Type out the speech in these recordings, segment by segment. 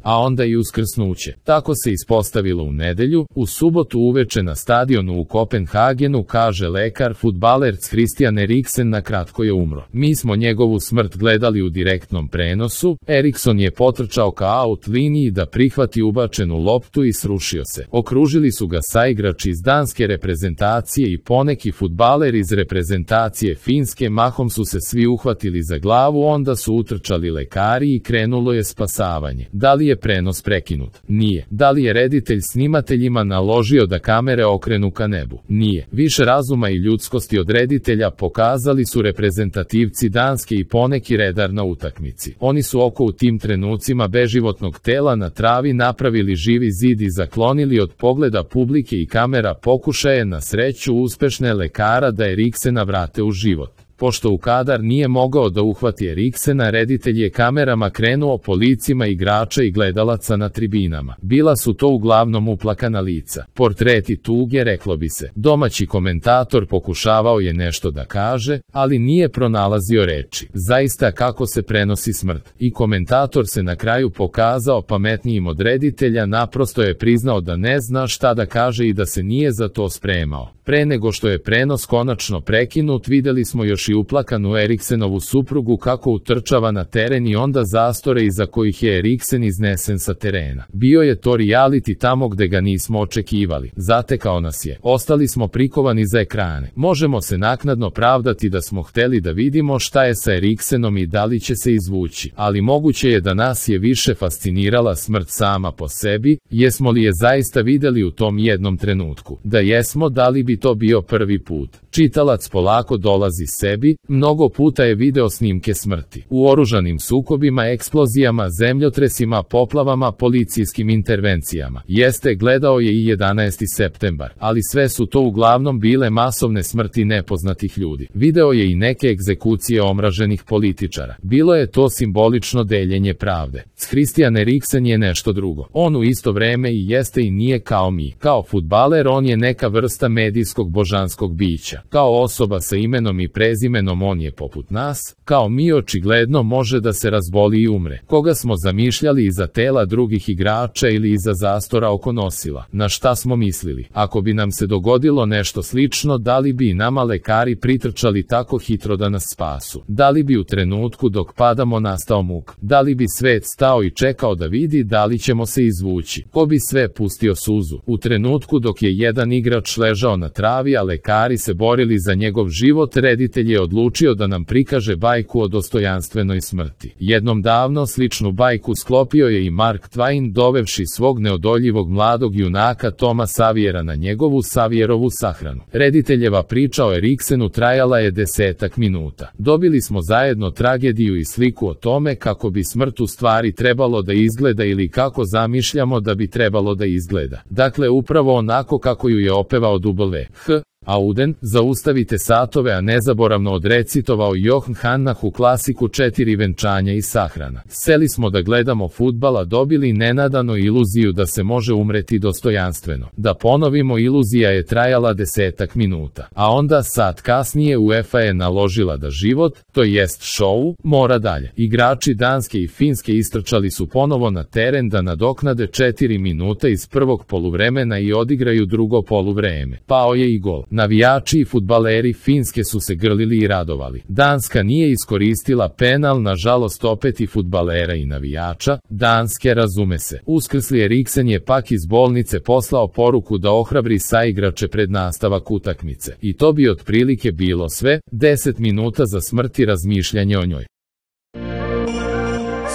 a onda i uskrsnuće. Tako se ispostavilo u nedelju. U subotu uveče na stadionu u Kopenhagenu, kaže lekar, fudbaler Christian Eriksen na kratko je umro. Mi smo njegovu smrt gledali u direktnom prenosu. Erikson je potrčao ka aut liniji da prihvati ubačenu loptu i srušio se. Okružili su ga saigrači iz danske reprezentacije i poneki fudbaler iz reprezentacije Finske, mahom su se svi uhvatili za glavu, onda su utrčali lekari i krenulo je spasavanje. Da li je prenos prekinut? Nije. Da li je reditelj snimateljima naložio da kamere okrenu ka nebu? Nije. Više razuma i ljudskosti od reditelja pokazali su reprezentativci Danske i poneki redar na utakmici. Oni su oko u tim trenucima beživotnog tela na travi napravili živi zid i zaklonili od pogleda publike i kamera pokušaje na sreću uspešne lekara da Eriksena vrate u život. Pošto u kadar nije mogao da uhvati Eriksena, reditelj je kamerama krenuo po licima igrača i gledalaca na tribinama. Bila su to uglavnom uplakana lica. Portreti tuge, reklo bi se. Domaći komentator pokušavao je nešto da kaže, ali nije pronalazio reči. Zaista kako se prenosi smrt. I komentator se na kraju pokazao pametnijim od reditelja, naprosto je priznao da ne zna šta da kaže i da se nije za to spremao. Pre nego što je prenos konačno prekinut, videli smo još i uplakanu Eriksenovu suprugu kako utrčava na teren i onda zastore iza kojih je Eriksen iznesen sa terena. Bio je to reality tamo gde ga nismo očekivali. Zatekao nas je. Ostali smo prikovani za ekrane. Možemo se naknadno pravdati da smo hteli da vidimo šta je sa Eriksenom i da li će se izvući. Ali moguće je da nas je više fascinirala smrt sama po sebi. Jesmo li je zaista videli u tom jednom trenutku? Da jesmo, da li bi to bio prvi put? Čitalac polako dolazi sebi, mnogo puta je video snimke smrti. U oružanim sukobima, eksplozijama, zemljotresima, poplavama, policijskim intervencijama. Jeste, gledao je i 11. septembar, ali sve su to uglavnom bile masovne smrti nepoznatih ljudi. Video je i neke egzekucije omraženih političara. Bilo je to simbolično deljenje pravde. Christian Eriksen je nešto drugo. On u isto vreme i jeste i nije kao mi. Kao fudbaler on je neka vrsta medijskog božanskog bića. Kao osoba sa imenom i prezimenom on je poput nas, kao mi očigledno može da se razboli i umre. Koga smo zamišljali iza tela drugih igrača ili iza zastora oko nosila? Na šta smo mislili? Ako bi nam se dogodilo nešto slično, da li bi i nama lekari pritrčali tako hitro da nas spasu? Da li bi u trenutku dok padamo nastao muk? Da li bi svet stao i čekao da vidi da li ćemo se izvući? Ko bi sve pustio suzu? U trenutku dok je jedan igrač ležao na travi, a lekari se borili za njegov život, reditelj je odlučio da nam prikaže bajku o dostojanstvenoj smrti. Jednom davno sličnu bajku sklopio je i Mark Twain, dovevši svog neodoljivog mladog junaka Toma Saviera na njegovu Savierovu sahranu. Rediteljeva priča o Eriksenu trajala je 10 minuta. Dobili smo zajedno tragediju i sliku o tome kako bi smrt u stvari trebalo da izgleda ili kako zamišljamo da bi trebalo da izgleda. Dakle, upravo onako kako ju je opevao W.H. Auden, zaustavite satove, a nezaboravno odrecitovao Johan Hannah u klasiku 4 venčanja i sahrana. Seli smo da gledamo fudbala, dobili nenadano iluziju da se može umreti dostojanstveno. Da ponovimo, iluzija je trajala 10 minuta. A onda sat kasnije UEFA je naložila da život, to jest show, mora dalje. Igrači Danske i Finske istrčali su ponovo na teren da nadoknade 4 minuta iz prvog poluvremena i odigraju drugo poluvreme. Pao je i gol. Navijači i fudbaleri Finske su se grlili i radovali. Danska nije iskoristila penal, nažalost opet i fudbalera i navijača Danske, razume se. Uskrsli Eriksen je pak iz bolnice poslao poruku da ohrabri saigrače pred nastavak utakmice. I to bi otprilike bilo sve, 10 minuta za smrt i razmišljanje o njoj.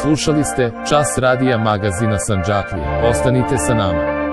Slušali ste Čas radija magazina Sandžaklije. Ostanite sa nama.